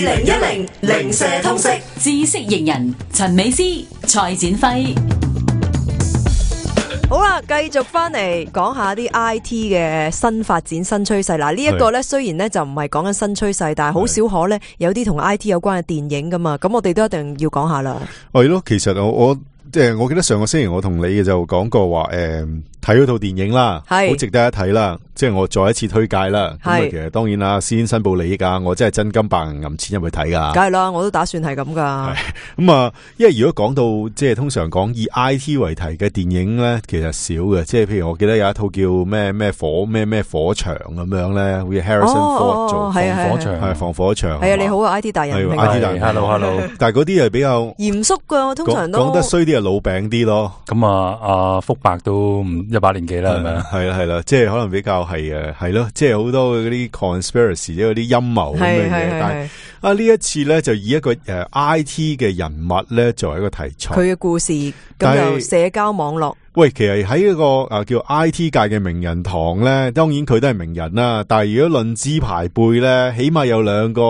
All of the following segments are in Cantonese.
2010零舍通識知識型人陳美詩、蔡展輝。好啦，繼續翻嚟講下啲 IT 嘅新發展新趨勢。嗱，呢一個咧雖然咧就唔係講緊新趨勢，但係好少可咧有啲同 IT 有關嘅電影噶嘛，咁我哋都一定要講下啦。係咯，其實我即係我記得上個星期我同你嘅就講過話，睇嗰套電影啦，好值得一睇啦。即係我再一次推介啦。咁啊，其實當然啦，先申報利益啊，我真係真金白銀揞錢入去睇噶。梗係啦，我都打算係咁噶。咁啊，因為如果講到即係通常講以 IT 為題嘅電影咧，其實少嘅。即係譬如我記得有一套叫咩火場咁樣咧，好似 Harrison Ford 做防火場，係防火場。係啊，你好啊 IT 大人，IT 大人 ，hello。但係嗰啲係比較嚴肅噶，通常都講得衰啲係老餅啲咯。咁阿福伯都100年紀啦，係咪啊？係啦，即係可能比較係咯，即係好多嗰啲 conspiracy 即係嗰啲陰謀咁嘅嘢。但係呢一次咧就以一個IT 嘅人物咧作為一個題材，佢嘅故事咁就社交網絡。喂，其實喺一個叫 IT 界嘅名人堂咧，當然佢都係名人啦。但係如果論資排輩咧，起碼有兩個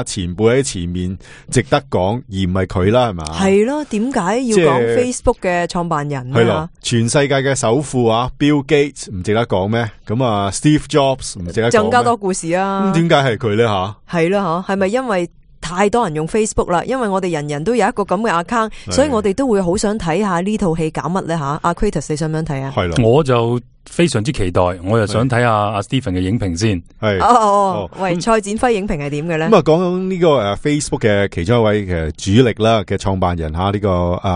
前輩喺前面值得講，而唔係佢啦，係嘛？係咯，點解要講 Facebook 嘅創辦人係咯，全世界嘅首富Bill Gates 唔值得講咩？咁啊 Steve Jobs 唔值得講咩？更加多故事啊！咁點解係佢咧吓？係咯，係咪因為太多人用 Facebook 啦？因為我哋人人都有一個咁嘅 account，所以我哋都會好想睇下呢套戲搞乜咧吓？阿 Kratos 你想唔想睇啊？係啦，我就非常之期待，我又想睇下阿 Stephen 嘅影評先。係喂，蔡展輝影評係點嘅咧？咁啊，講呢個Facebook 嘅其中一位嘅主力啦嘅創辦人呢個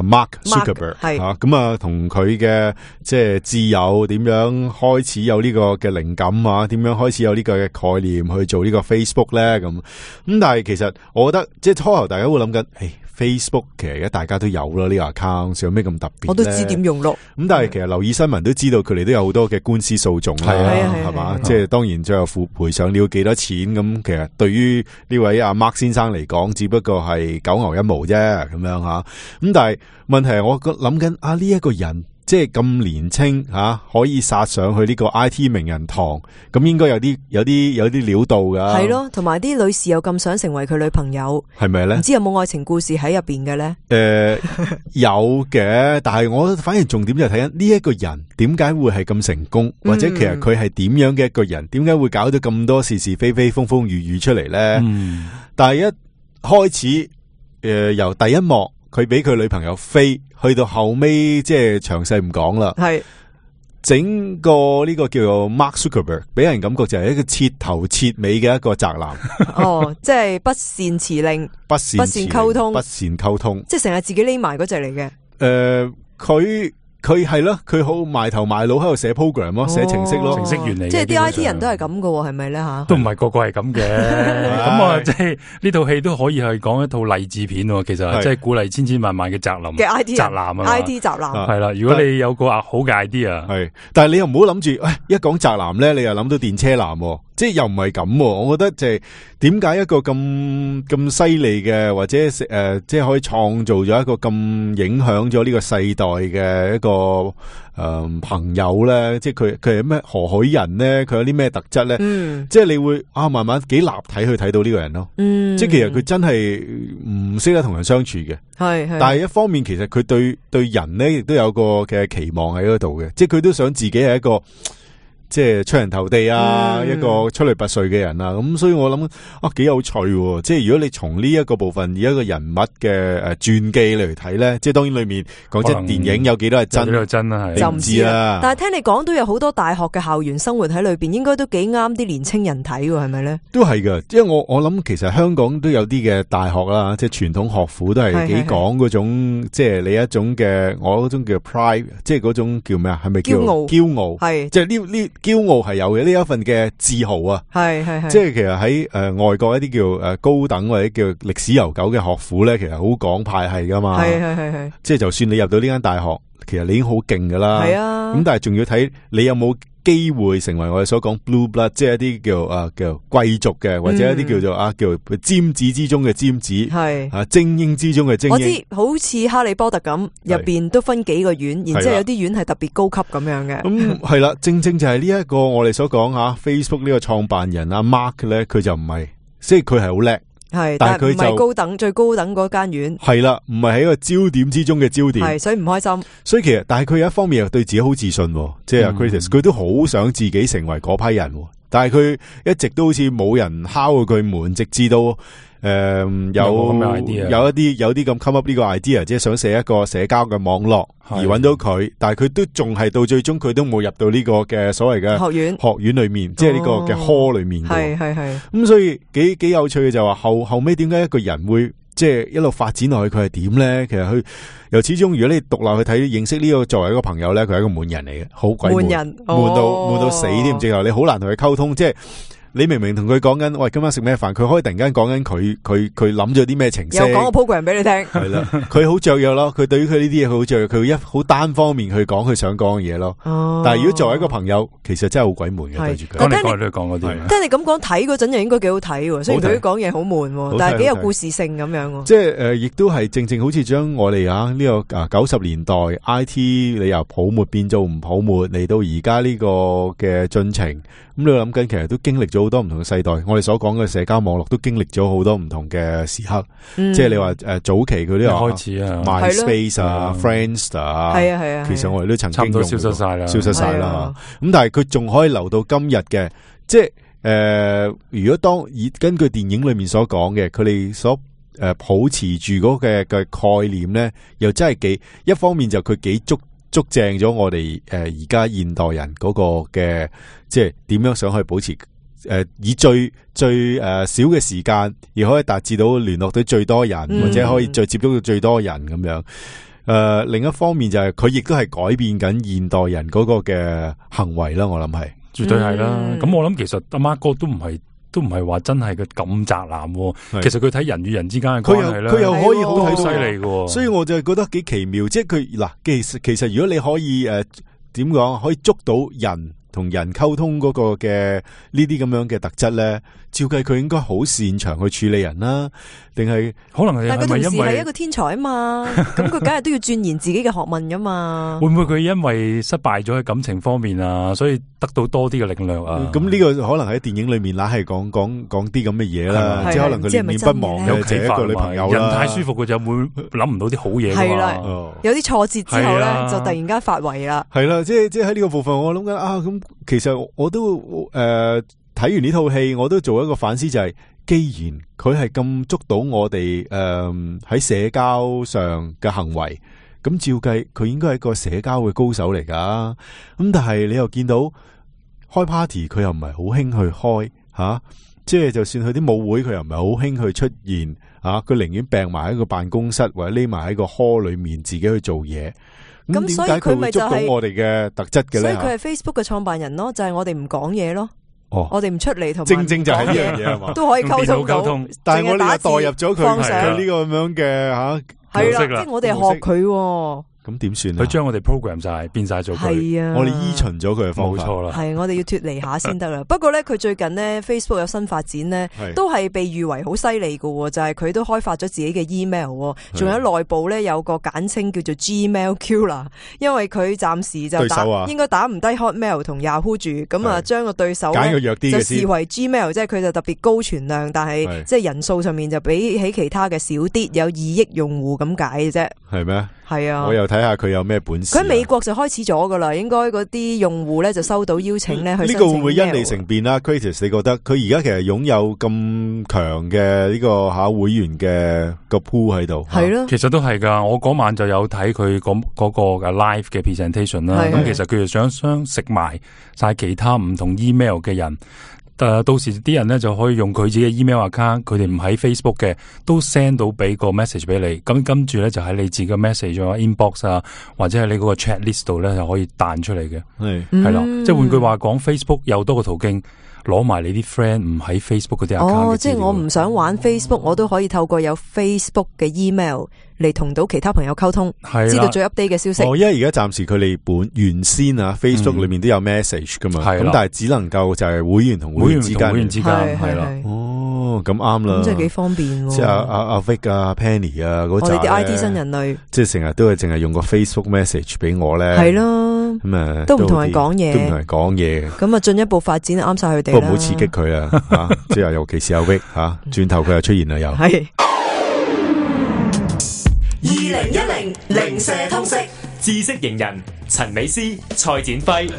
Mark Zuckerberg 係咁啊，同佢嘅即係摯友點樣開始有呢個嘅靈感啊？點樣開始有呢個嘅概念去做呢個 Facebook 咧？咁但係其實我覺得即係初頭大家會諗緊Facebook 其實而家大家都有啦，呢個 account 有咩咁特別？我都知點用咯。咁但係其實留意新聞都知道佢哋都有好多嘅官司訴訟啦，係嘛？即係當然最後賠償了幾多錢咁，其實對於呢位阿 Mark 先生嚟講，只不過係九牛一毛啫咁樣吓。咁但係問題係我諗緊呢一個人。即係咁年青可以殺上去呢個 IT 名人堂，咁應該有啲料到噶。係咯，同埋啲女士又咁想成為佢女朋友，係咪咧？唔知有冇愛情故事喺入邊嘅咧？有嘅，但係我反而重點就係睇緊呢一個人點解會係咁成功，或者其實佢係點樣嘅一個人，點解會搞到咁多是是非非、風風雨雨出嚟咧？但係一開始由第一幕佢俾佢女朋友飛。去到後尾即係詳細唔講啦，係整個呢個叫做 Mark Zuckerberg 俾人感覺就係一個徹頭徹尾嘅一個宅男。即係不善辭令，不善溝通，不善溝通，即係成日自己匿埋嗰隻嚟嘅。佢係咯，佢好埋頭埋腦喺度寫 program 咯，寫程式咯，程式員嚟嘅。即係啲 IT 人都係咁噶，係咪咧吓？都唔係個個係咁嘅。咁啊，即係呢套戲都可以係講一套勵志片，其實即係鼓勵千千萬萬嘅宅男嘅 IT 宅男啊 ，IT 宅男係啦。如果你有個好嘅 idea，係，但係你又唔好諗住，一講宅男咧，你又諗到電車男，即係又唔係咁。我覺得就係點解一個咁犀利嘅，或者即係可以創造咗一個咁影響咗呢個世代嘅一個朋友咧，即係佢係咩何許人咧？佢有啲咩特質咧？即係你會慢慢幾立體去睇到呢個人咯。即係其實佢真係唔識得同人相處嘅，係。但係一方面，其實佢對人咧亦都有個嘅期望喺嗰度嘅，即係佢都想自己係一個。即係出人頭地啊，一個出類拔萃嘅人啊，咁所以我諗幾有趣喎。即係如果你從呢一個部分以一個人物嘅傳記嚟睇咧，即係當然裏面講真電影有幾多係真，你唔知啦。但係聽你講都有好多大學嘅校園生活喺裏邊，應該都幾啱啲年青人睇喎，係咪咧？都係噶，因為我諗其實香港都有啲嘅大學啦，即係傳統學府都係幾講嗰種，即係你一種嘅我嗰種叫 pride， 即係嗰種叫咩啊？係咪叫驕傲？係即係呢驕傲係有嘅，呢一份嘅自豪啊，係即係其實喺外國一啲叫高等或者叫歷史悠久嘅學府咧，其實好講派系噶嘛，係即係就算你入到呢間大學，其實你已經好勁噶啦，係啊，咁但係仲要睇你有冇機會成為我哋所講 blue blood， 即係一啲叫貴族嘅，或者一啲叫做叫尖子之中嘅尖子，係精英之中嘅精英。我知好似哈利波特咁，入邊都分幾個院，然之後有啲院係特別高級咁樣嘅。咁係啦，正正就係呢一個我哋所講Facebook 呢個創辦人阿 Mark 咧，佢就唔係，即係佢係好叻。係，但係佢唔係高等最高等嗰間院，係啦，唔係喺個焦點之中嘅焦點，係所以唔開心。所以其實，但係佢有一方面又對自己好自信，即係阿 Curtis，佢都好想自己成為嗰批人，但係佢一直都好似冇人敲過佢門，直至到有啲咁 come up 呢個 idea， 即係想寫一個社交嘅網絡而揾到佢，但係佢都仲係到最終佢都冇入到呢個嘅所謂嘅學院裏面，即係呢個嘅 hall 裏面。係咁，所以幾有趣嘅就話後尾點解一個人會即係一路發展落去，佢係點咧？其實佢由始終，如果你獨立去睇認識呢個作為一個朋友咧，佢係一個悶人嚟嘅，好鬼悶人，悶到死添，直頭你好難同佢溝通，即係。你明明同佢講緊，喂，今晚食咩飯？佢可以突然間講緊佢諗咗啲咩程式，又講個 program 俾你聽。係啦，佢好雀躍咯。佢對於佢呢啲嘢，佢好雀躍。佢會好單方面去講佢想講嘅嘢咯。但係如果作為一個朋友，其實真係好鬼悶嘅對住佢。講嚟講去都講嗰啲。聽你咁講睇嗰陣又應該幾好睇，雖然佢講嘢好悶，但係幾有故事性咁樣。即係亦都係正好似將我哋呢個90年代 IT 你由泡沫變做唔泡沫嚟到而家呢個嘅進程。咁你諗緊，其實都經歷咗好多唔同嘅世代。我哋所講嘅社交網絡都經歷咗好多唔同嘅時刻。即係你話早期佢啲開始啊 ，MySpace 啊 ，Friendster 啊，係啊，其實我哋都曾經用過，消失晒啦。咁但係佢仲可以留到今日嘅，即係如果根據電影裏面所講嘅，佢哋所保持住嗰嘅概念咧，又真係一方面就佢幾捉正咗我哋而家現代人嗰個嘅，即係點樣想去保持以最少嘅時間，而可以達至到聯絡到最多人，或者可以再接觸到最多人咁樣。另一方面就係佢亦都係改變緊現代人嗰個嘅行為啦。我諗係絕對係啦。咁我諗其實阿 Mark 哥都唔係話真係佢咁宅男，其實佢睇人與人之間嘅關係咧，佢又可以好睇到犀利嘅，所以我就覺得幾奇妙。即係佢嗱，其實如果你可以點講，可以捉到人同人溝通嗰個嘅呢啲咁樣嘅特質咧，照計佢應該好擅長去處理人啦，定係可能係但係佢同時因為係一個天才啊嘛，咁佢梗係都要鑽研自己嘅學問噶嘛。會唔會佢因為失敗咗喺感情方面啊，所以得到多啲嘅力量啊？咁呢個可能喺電影裏面嗱係講啲咁嘅嘢啦，即係可能佢念念不忘嘅就係一個女朋友啦。人太舒服，佢就會諗唔到啲好嘢。係啦，有啲挫折之後咧，就突然間發圍啦。係啦，即係喺呢個部分，我諗緊咁其實我都睇完呢套戲，我都做一個反思，就係既然佢係咁捉到我哋喺社交上嘅行為，咁照計佢應該係一個社交嘅高手嚟噶。咁但係你又見到開 party，佢又唔係好興去開吓，即係就算佢啲舞會，佢又唔係好興去出現啊。佢寧願病埋喺個辦公室或者匿埋喺個 hall 裏面自己去做嘢。咁點解佢會捉到我哋嘅特質嘅咧？所以佢係 Facebook 嘅創辦人咯，就係我哋唔講嘢咯。我哋唔出嚟同正就係呢樣嘢係嘛，都可以溝通。但係我哋又代入咗佢呢個咁樣嘅係啦，即係我哋學佢。咁點算啊？佢將我哋 program 晒變晒做佢，係啊，我哋依循咗佢嘅方法，冇錯啦。係我哋要脫離下先得啦。不過咧，佢最近咧 Facebook 有新發展咧，都係被譽為好犀利嘅，就係佢都開發咗自己嘅 email，仲有內部咧有個簡稱叫做 Gmail Killer， 因為佢暫時就應該打唔低 Hotmail 同 Yahoo 住，咁啊將個對手咧就視為 Gmail， 即係佢就特別高存量，但係即係人數上面就比起其他嘅少啲，有2億用戶咁解嘅啫。係咩？係啊，我又睇下佢有咩本事。佢喺美國就開始咗噶啦，應該嗰啲用戶咧就收到邀請咧去申請。呢個會唔會因利成變啦 ？Curtis， 你覺得佢而家其實擁有咁強嘅呢個會員嘅個 pool 喺度？係咯，其實都係噶。我嗰晚就有睇佢嗰個 live 嘅 presentation 啦。咁其實佢就想食埋晒其他唔同 email 嘅人。到時啲人咧就可以用佢自己嘅 email account， 佢哋唔喺 Facebook 嘅，都 send 到俾個 message 俾你。咁跟住咧就喺你自己嘅 message 啊 inbox 啊，或者係你嗰個 chat list 度咧就可以彈出嚟嘅。係啦，即係換句話講 ，Facebook 有多個途徑攞埋你啲 friend 唔喺 Facebook 嗰啲 account。即係我唔想玩 Facebook，我都可以透過有 Facebook 嘅 email 嚟同到其他朋友溝通，知道最 update 嘅消息。因為而家暫時佢哋原先Facebook 裏面都有 message 噶嘛，咁但係只能夠就係會員同會員之間係啦。哦，咁啱啦，咁真係幾方便喎。即係阿 Vic 啊 Penny 啊嗰扎我哋啲 IT 新人類，即係成日都係淨係用個 Facebook message 俾我咧，係咯，咁啊都唔同人講嘢，都唔同人講嘢。咁啊進一步發展啱晒佢哋啦。不過唔好刺激佢啊，吓，即係尤其是阿 Vic 吓，轉頭佢又出現啦又。係2010零舍通識知識型人陳美斯、蔡展輝。